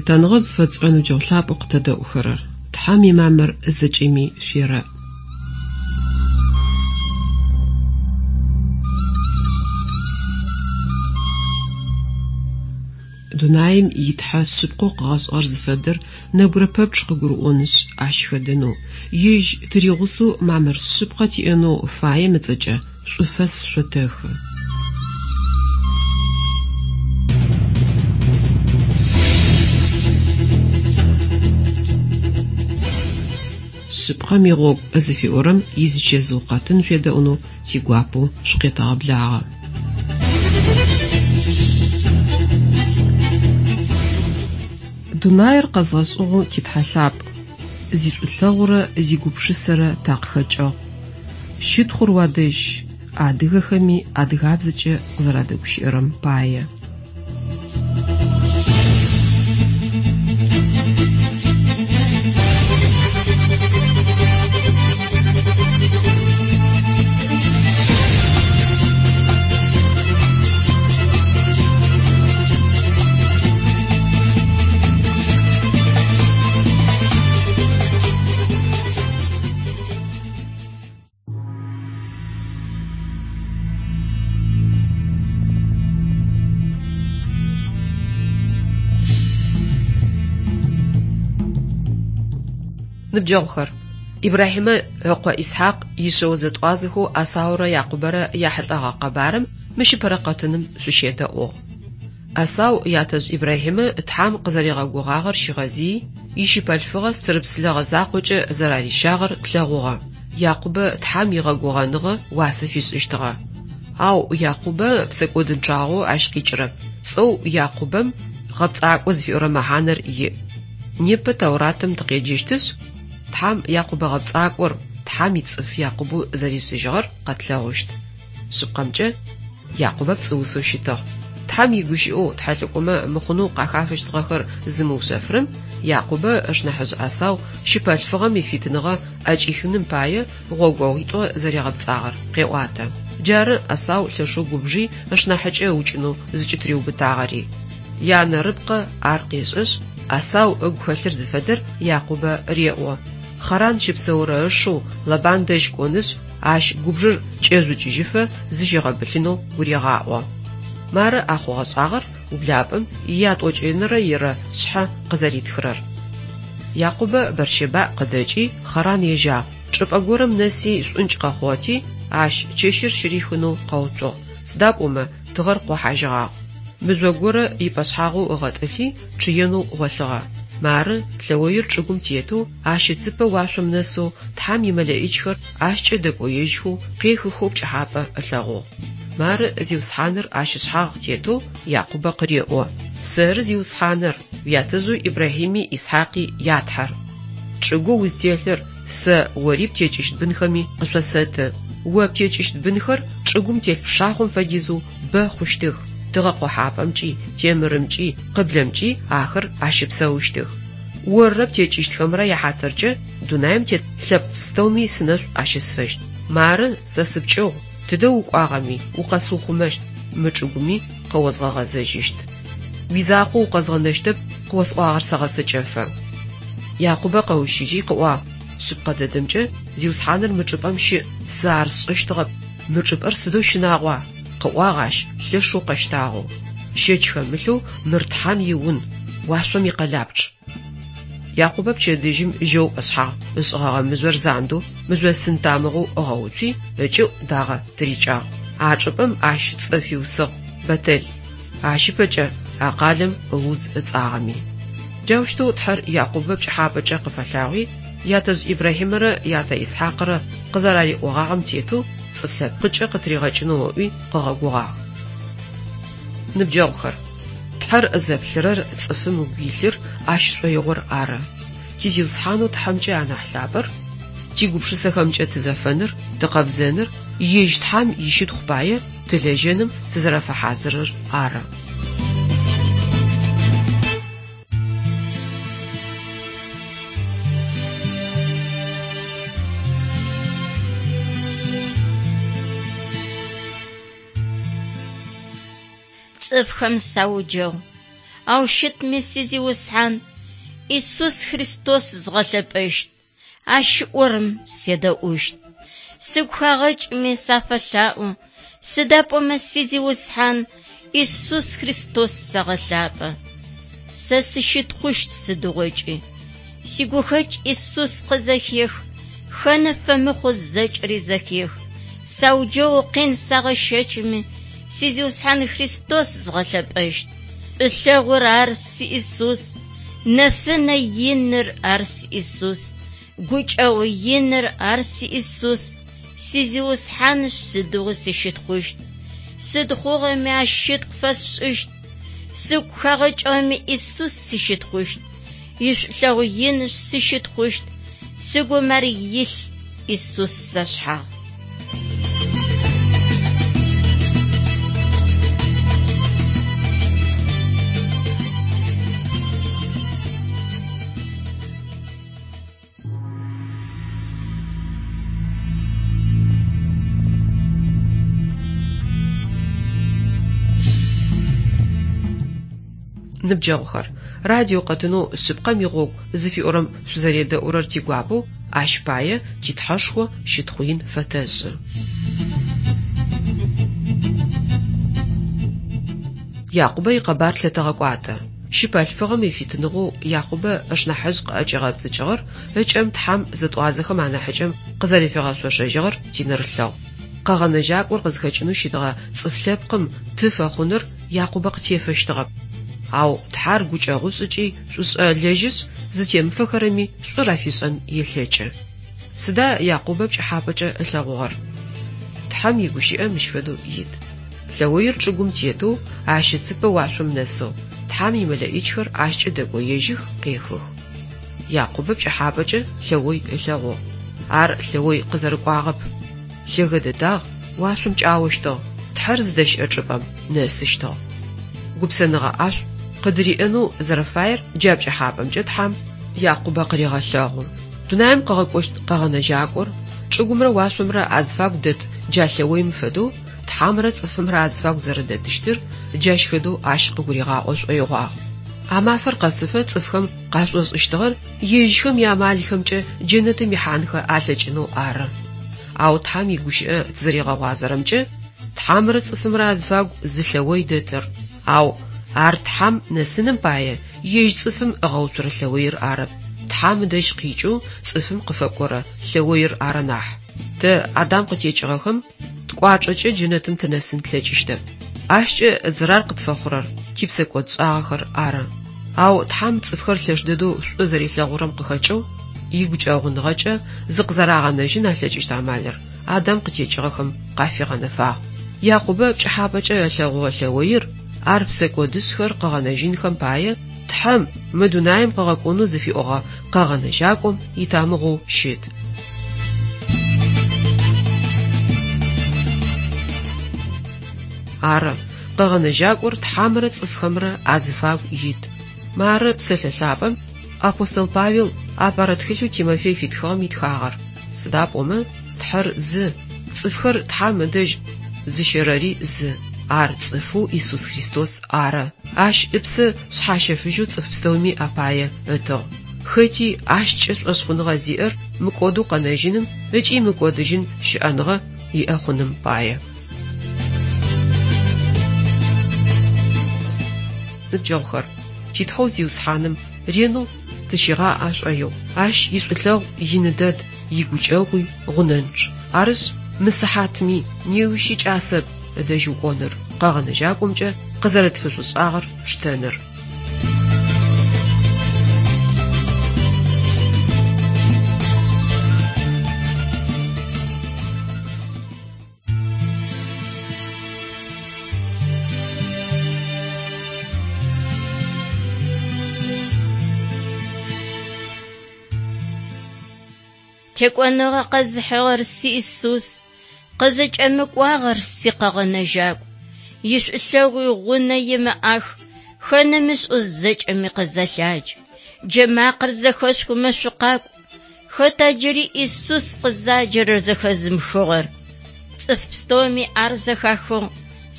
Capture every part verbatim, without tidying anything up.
Лъытэныгъэ зыфэтшӏырэ ныбджэгъу лъапӏэу къытэдэӏухэрэр, Тхьэм имамыр зэкӏэми шъуерэӏ. Дунаим итхьэ шъыпкъэу къыгъэшӏыгъэр зыфэдэр нэбгырэ пэпчъ къыгурыӏонышъ ащ хэдэнэу, ежь тыригъусэу мамыр шъыпкъэ тиӏэнэу фаем ыцӏэкӏэ шӏуфэс шъотэхы. Шъыпкъэм игъогу зыфиӏорэм изычэзыу къэтын шъуедэӏунэу тигуапэу шъукъетэгъэблагъэ. Дунаир къэзгъэшӏыгъэу титхьэ лъапӏ, зишӏулъэгъурэ зигупшысэрэ такъыхэкӏыгъ. Щытхъур уадэжь, адыгэхэми адыгабзэкӏэ къызэрадэгущыӏэрэм пае. Ныбджэгъухэр: Ибрахьимэ ыкъо Исхьакъ ишъэо зэтӏуазэхэу Эсаурэ Якъубэрэ яхьылӏэгъэ къэбарым мыщ ыпэрэ къэтыным шъущедэӏугъ. Эсау ятэжъ Ибрахьимэ Тхьам къызэригъэгугъагъэр щигъэзыий, ищыпэлъфыгъэ стырыпс лэгъэ закъокӏэ зэрарищагъэр тлъэгъугъэ. Якъубэ Тхьам игъэгугъэныгъэ уасэ фишӏыщтыгъэ. Ау Якъубэ псэкӏодынчъагъэу ащ къикӏырэп. Цӏэу Якъубэм гъэпцӏакӏо зыфиӏорэ мэхьанэр иӏ. Непэ Тауратым тыкъеджэщтышъ, Тхьам Якъубэ гъэпцӏакӏор, Тхьам ицӏыф Якъубэу зэришӏыжьыгъэр къэтлъэгъущт. Шъыпкъэмкӏэ, Якъубэ пцӏыусэу щытыгъ. Тхьам игущыӏэу тхьэлӏыкӏомэ мыхъунэу къахафэщтыгъэхэр зымыушъэфырэм Якъубэ ышнахьыжъ Эсау щыпэлъфыгъэм ифитыныгъэ ӏэкӏихыным пае гъогогъуитӏо зэригъэпцӏагъэр къеӏуатэ. Джары Эсау лъэшэу губжи ышнахьыкӏэ ыукӏынэу зыкӏытыриубытагъэри. Янэ Рыбкъэ ар къешӏэшъ, Эсау ыгу хэлъыр зыфэдэр Якъубэ реӏо. Харан щыпсэурэ ышэу Лабан дэжь кӏонышъ, ащ губжыр кӏэжъукӏыжьыфэ зыщигъэбылъынэу гурегъаӏо. Мары а хъугъэ-шӏагъэр ублапӏэм ятӏокӏэнэрэ ирэ шъхьэ къызэритхырэр. Якъубэ Бэрщэбаӏ къыдэкӏи Харан ежьагъ. Чӏыпӏэ горэм нэси шӏункӏ къэхъугъэти, ащ чэщыр щырихынэу къэуцугъ. Сыда пӏомэ тыгъэр къохьажьыгъагъ. Мыжъо горэ ипӏэшъхьагъэу ыгъэтӏылъи чъыенэу гъолъыгъэ. Мары лъэоир чӏыгум тетэу, ащ ыцыпэ уашъом нэсэу Тхьам имэлэӏичхэр ащкӏэ дэкӏоежьхэу, къехыхэу пкӏыхьапӏэ ылъэгъугъ. Мары Зиусхьаныр ащ ышъхьагъ тетэу Якъубэ къыреӏо: Сэры Зиусхьаныр, уятэжъэу Ибрахьими Исхьакъи я Тхьэр. Чӏыгоу узтелъыр сэ ори птекӏыщт бынхэми къышъосэты. О птекӏыщт бынхэр чӏыгум телъ пшахъом фэдизэу бэ хъущтых. Тыгъэ къохьапӏэмкӏи, темырымкӏи, къыблэмкӏи ахэр ащыпсэущтых. Оррэ птекӏыщтхэмрэ яхьатыркӏэ дунаим тет лъэпкъ пстэуми сынэшӏу ащысфэщт. Мары сэ сыпкӏыгъу, тыдэ укӏуагъэми укъэсыухъумэщт, мы чӏыгуми къэозгъэгъэзэжьыщт. Уизакъоу укъэзгъэнэщтэп, къыосӏуагъэр сэгъэцэкӏэфэ. Якъубэ къэущыжьи къыӏуагъ: Шъыпкъэ дэдэмкӏэ Зиусхьаныр мы чӏыпӏэм щыӏ, сэ ар сшӏэщтыгъэп. Мы чӏыпӏэр сыдэу щынагъуа? Къыӏуагъ ащ лъэшэу къэщтагъэу. Щэч хэмылъэу мыр Тхьам иун, уашъом икъэлапчъ. Якъубэ пчэдыжьым жьэу ышъхьагъ ышӏыгъэгъэ мыжъор зандэу, мыжъосын тамыгъэу ыгъэуцуи, ыкӏыӏу дагъэ тырикӏагъ. А чӏыпӏэм ащ цӏэ фиусыгъ Бэтэл. Ащ ыпэкӏэ а къалэм Луз ыцӏагъэми. Джаущтэу Тхьэр Якъубэ пкӏыхьапӏэкӏэ къыфэлъагъуи, ятэжъ Ибрахьимэрэ ятэ Исхьакърэ къызэрариӏогъагъэм тетэу цӏыф лъэпкъыкӏэ къытыригъэкӏынэу ыӏуи къыгъэгугъагъ. Ныбджэгъухэр: Тхьэр зэплъырэр цӏыфым ыгу илъыр ащ шӏоигъор ары. Ти Зиусхьанэу Тхьэмкӏэ анахь лъапӏэр, тигупшысэхэмкӏэ тызэфэныр, тыкъэбзэныр, ежь Тхьам ищытхъу пае тылэжьэным тызэрэфэхьазырыр ары. Цӏыфхэм сауджэгъу. Ау щытми си Зиусхьан Исус Христос згъэлъэпӏэщт, Ащ ыӏорэм седэӏущт. Сыгу хагъэкӏми сафэлъаӏо, сыда пӏомэ си Зиусхьан Исус Христос сэгъэлъапӏэ. Сэ сыщытхъущт сыдигъокӏи. Сигухэкӏ Исус къызэхех, хэны фэмыхъу зэкӏэри зэхех. Сауджэу къин сагъэщэчми, си Зиусхьан Христос згъэлъэпӏэщт. Шӏулъэгъур ар си Исус, нэфынэ иныр ар си Исус, гукӏэгъу иныр ар си Исус, си Зиусхьанышъ сыдигъуи сыщытхъущт. Сыд хъугъэми ащ щытхъу фэсшӏыщт. Сыгу хагъэкӏыгъэми Исус сыщытхъущт. Ишӏулъэгъу инышъ сыщытхъущт. Сыгум ар илъ Исус сашъхьагъ. Ныбджэгъухэр, радио къэтынэу шъыпкъэм игъогу зыфиӏорэм шъузэредэӏурэр тигуапэу, ащ пае титхьэшхо щытхъу ин фэтэшӏы. Якъубэ икъэбар лъэтэгъэкӏуатэ. Щыпэлъфыгъэм ифитыныгъэу Якъубэ ышнахьыжъ къыӏэкӏигъэпцӏыкӏыгъэр ыкӏэм Тхьэм зэтӏуазэхэм анахьыкӏэм къызэрэфигъэшъошэжьыгъэр тинэрылъэгъу. Къэгъэнэжьакӏор къызхэкӏынэу щытыгъэ цӏыф лъэпкъым ты фэхъуныр Якъубэ къытефэщтыгъэп. Ау Тхьэр гукӏэгъушӏ ыкӏи шӏушӏэ лэжьышъ, зытемыфэхэрэми шӏур афишӏэн елъэкӏы. Сыда Якъубэ пкӏыхьапӏэкӏэ ылъэгъугъэр? Тхьэм игущыӏэ мыщ фэдэу ит. Лъэоир чӏыгум тетэу, ащ ыцыпэ уашъом нэсэу, Тхьэм имэлэӏичхэр ащкӏэ дэкӏоежьых, къехых. Якъубэ пкӏыхьапӏэкӏэ лъэой ылъэгъугъ. Ар лъэой къызэрыкӏуагъэп. Лъэгэ дэдагъ, уашъом кӏаощтыгъ, Тхьэр зыдэщыӏэ чӏыпӏэм нэсыщтыгъ. Гупсэныгъэ ӏашӏу къыдыриӏэнэу зэрэфаер джа пкӏыхьапӏэмкӏэ Тхьэм Якъубэ къырегъэлъэгъу. Дунаим къыгъэкӏощт къэгъэнэжьакӏор, чӏыгумрэ уашъомрэ азыфагу дэт джа лъэоим фэдэу Тхьэмрэ цӏыфымрэ азыфагу зэрэдэтыщтыр джащ фэдэу ащ къыгуригъаӏо шӏоигъуагъ. А мафэр къэсыфэ цӏыфхэм къашӏошӏыщтыгъэр ежьхэм яамалхэмкӏэ джэнэтым ихьанхэ алъэкӏынэу ары. Ау Тхьэм игущыӏэ тызэригъэгъуазэрэмкӏэ Тхьэмрэ цӏыфымрэ азыфагу зы лъэой дэтыр, ау ар Тхьэм нэсыным пае ежь цӏыфым ыгъэуцурэ лъэоир арэп. Тхьэм ыдэжь къикӏэу цӏыфым къыфэкӏорэ лъэоир ары нахь. Тэ Адам къытекӏыгъэхэм ткӏуачӏэкӏэ джэнэтым тынэсын тлъэкӏыщтэп. Ащкӏэ зэрар къытфэхъурэр типсэкӏодшӏагъэхэр ары. Ау Тхьэм цӏыфхэр лъэш дэдэу шӏу зэрилъэгъурэм къыхэкӏэу игукӏэгъуныгъэкӏэ зыкъызэрагъэнэжьын алъэкӏыщт амалыр Адам къытекӏыгъэхэм къафигъэнэфагъ. Якъубэ пкӏыхьапӏэкӏэ ылъэгъугъэ лъэоир ар псэкӏодышъхэр къыгъэнэжьынхэм пае Тхьэм мы дунаим къыгъэкӏонэу зыфиӏогъэ къэгъэнэжьакӏом итамыгъэу щыт. Ары, къэгъэнэжьакӏор Тхьэмрэ цӏыфхэмрэ азыфагу ит. Мары псэлъэ лъапӏэм апостол Павел апэрэ тхылъэу Тимофей фитхыгъэм итхагъэр. Сыда пӏомэ Тхьэр зы, цӏыфхэр Тхьэм ыдэжь зыщэрэри зы. Ар цӏыфэу Исус Христос ары. Ащ ыпсэ шъхьащэфыжьэу цӏыф пстэуми апае ытыгъ. Хэти ащкӏэ шӏошъхъуныгъэ зиӏэр мыкӏодэу къэнэжьыным ыкӏи мыкӏодыжьын щыӏэныгъэ иӏэ хъуным пае. Ныбджэгъухэр, титхьэу Зиусхьаным ренэу тыщигъаӏэ шӏоигъу. Ащ ишӏулъэгъу ины дэд, игукӏэгъуи гъунэнчъ. Арышъ, мы сыхьатми неущи кӏасэп ыдэжь укӏоныр, къэгъэнэжьакӏомкӏэ къызэрэтфишӏушӏагъэр пштэныр. Текӏоныгъэ къэзыхьыгъэр си Исус, къызэкӏэмыкӏуагъэр си къэгъэнэжьакӏу. Ишӏулъэгъуи гъунэ имыӏах, хэнэмышӏэу зэкӏэми къызэлъадж. Джэмакъэр зэхэшъухымэ шъукъакӏу. Хэта джыри Исус къызаджэрэр зэхэзымыхыгъэр? Цӏыф пстэуми ар зэхахыгъ.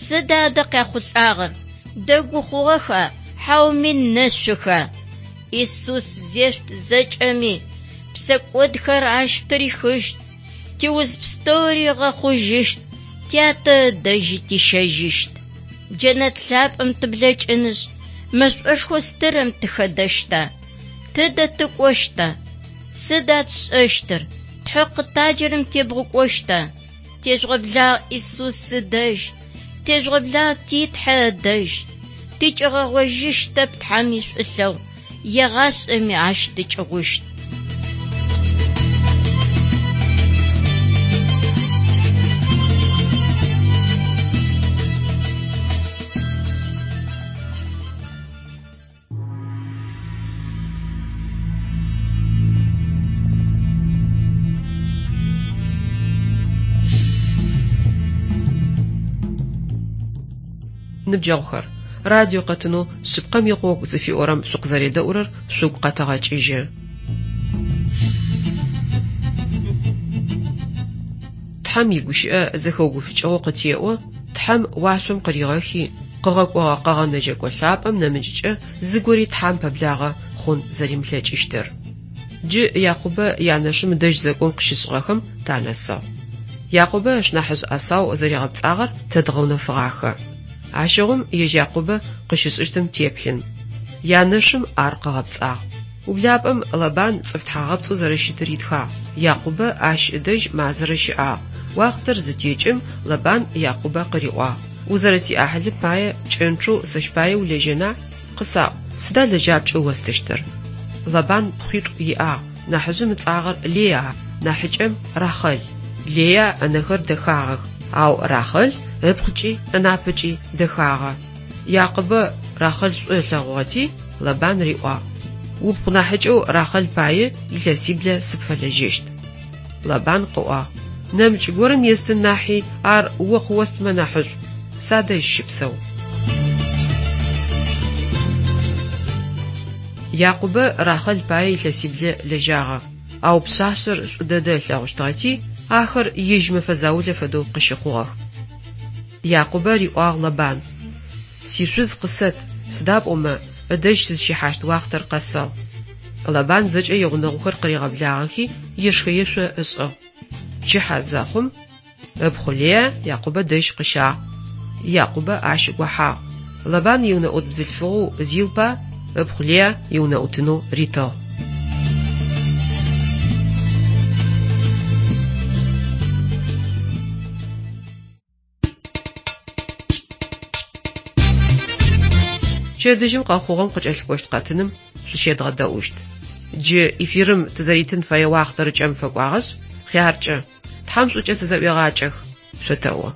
Сыда адэ къяхъулӏагъэр? Дэгу хъугъэха? Хьауми нэшъуха? Исус зешъут зэкӏэми, псэкӏодхэр ащ тырихыщт, тиуз пстэури ыгъэхъужьыщт, тятэ ыдэжьи тищэжьыщт. Джэнэт лъапӏэм тыблэкӏынышъ, мэшӏошхо стырэм тыхэдэщта? Тыдэ тыкӏощта? Сыда тшӏэщтыр? Тхьэ къытаджэрэм тебгъукӏощта? Тежъугъэблагъ Исус ыдэжь, тежъугъэблагъ ти Тхьэ ыдэжь. Тыкӏэгъожьыщтэп Тхьэм ишӏулъэгъу, егъашӏэми ащ тыкӏыгъущт. Ныбджэгъухэр, радио къэтынэу «Шъыпкъэм игъогу» зыфиӏорэм шъукъызэредэӏурэр шъугу къэтэгъэкӏыжьы. Тхьэм игущыӏэ зэхэугуфыкӏыгъэу къытеӏо, Тхьэм уашъом къыригъэхи, къыгъэкӏогъэ Къэгъэнэжьэкӏо лъапӏэм нэмыкӏкӏэ зыгори Тхьэм пэблагъэ хъун зэримылъэкӏыщтыр. Джы Якъубэ янэшым ыдэжь зэкӏом къыщышӏыгъэхэм танэсыгъ. Якъубэ ышнахьыжъ Ӏэсау зэригъэпцӏагъэр тэ дгъэунэфыгъахэ. Ащыгъум ежь Якъубэ къыщышӏыщтым теплъын. Янэшым ар къыгъэпцӏагъ. Ублапӏэм Лабан цӏыф тхьагъэпцӏэу зэрэщытыр итхагъ. Якъубэ ащ ыдэжь мазэрэ щыӏагъ. Уахътэр зытекӏым Лабан Якъубэ къыриӏуагъ: «Узэрэсиӏахьылым пае пкӏэнчъэу сэщ пае улэжьэна? Къысаӏу, сыда лэжьапкӏэу остыщтыр?» Лабан пхъуитӏу иӏагъ. Нахьыжъым ыцӏагъэр Леа, нахьыкӏэм Рахэл. Леа ынэхэр дэхагъэх, ау Рахэл ыпкъыкӏи ынапэкӏи дэхагъэ. Якъубэ Рахэл шӏу ылъэгъугъэти, Лабан риӏуагъ: «Упхъу нахьыкӏэу Рахэл пае илъэсиблэ сыпфэлэжьэщт». Лабан къыӏуагъ: «Нэмыкӏ горэм естын нахьи ар о къыостмэ нахьышӏу. Садэжь щыпсэу». Якъубэ Рахэл пае илъэсиблэ лэжьагъэ, ау пшъашъэр шӏу дэдэ ылъэгъущтыгъэти, ахэр ежь мэфэ заулэ фэдэу къыщыхъугъэх. Якъубэ риӏуагъ Лабан: «Сишъуз къысэт, сыда пӏомэ ыдэжь сызщихьащт уахътэр къэсыгъ». Лабан зэкӏэ игъунэгъухэр къыригъэблагъэхи ешхэ-ешъо ышӏыгъ. Пчыхьэ зэхъум ыпхъу Леа Якъубэ дэжь къыщагъ. Якъубэ ащ гохьагъ. Лабан иунэӏут бзылъфыгъэу Зилпа ыпхъу Леа иунэӏутынэу ритыгъ. Пчэдыжьым къэхъугъэм къыкӏэлъыкӏощт къэтыным шъущедгъэдэӏущт. Джы эфирым тызэритын фэе уахътэр ыкӏэм фэкӏуагъэшъ, хъяркӏэ, Тхьэм шӏукӏэ тызэӏуегъакӏэх, шъотэӏо.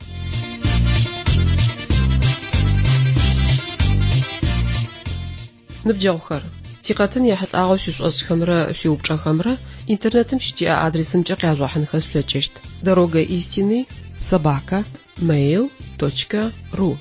Ныбджэгъухэр, тикъэтын ехьылӏагъэу шъуишӏошӏхэмрэ шъуиупчӏэхэмрэ интернетым щытиӏэ адресымкӏэ къяжъугъэхьынхэ шъулъэкӏыщт: дорога истины собака mail точка ру.